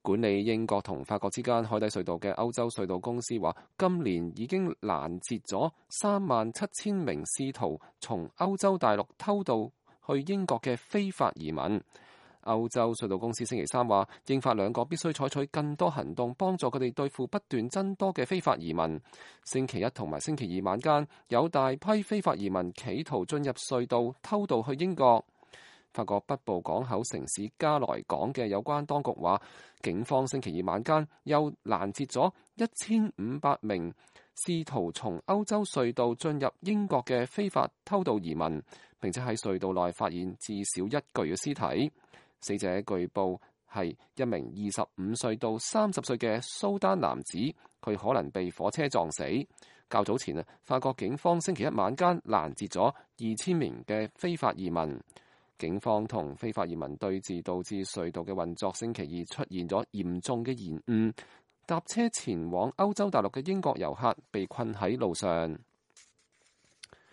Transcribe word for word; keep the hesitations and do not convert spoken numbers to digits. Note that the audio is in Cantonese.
管理英國同法國之間海底隧道嘅歐洲隧道公司話，今年已經攔截咗三萬七千名試圖從歐洲大陸偷渡去英國嘅非法移民。歐洲隧道公司星期三話，英法兩國必須採取更多行動，幫助佢哋對付不斷增多嘅非法移民。星期一同埋星期二晚間，有大批非法移民企圖進入隧道偷渡去英國。法國北部港口城市加萊港嘅有關當局話，警方星期二晚間又攔截咗一千五百名試圖從歐洲隧道進入英國嘅非法偷渡移民，並且喺隧道內發現至少一具嘅屍體。死者據報係一名二十五歲到三十歲嘅蘇丹男子，佢可能被火車撞死。較早前啊，法國警方星期一晚間攔截咗二千名嘅非法移民。警方同非法移民對峙，導致隧道嘅運作星期二出現咗嚴重嘅延誤，搭車前往歐洲大陸嘅英國遊客被困喺路上。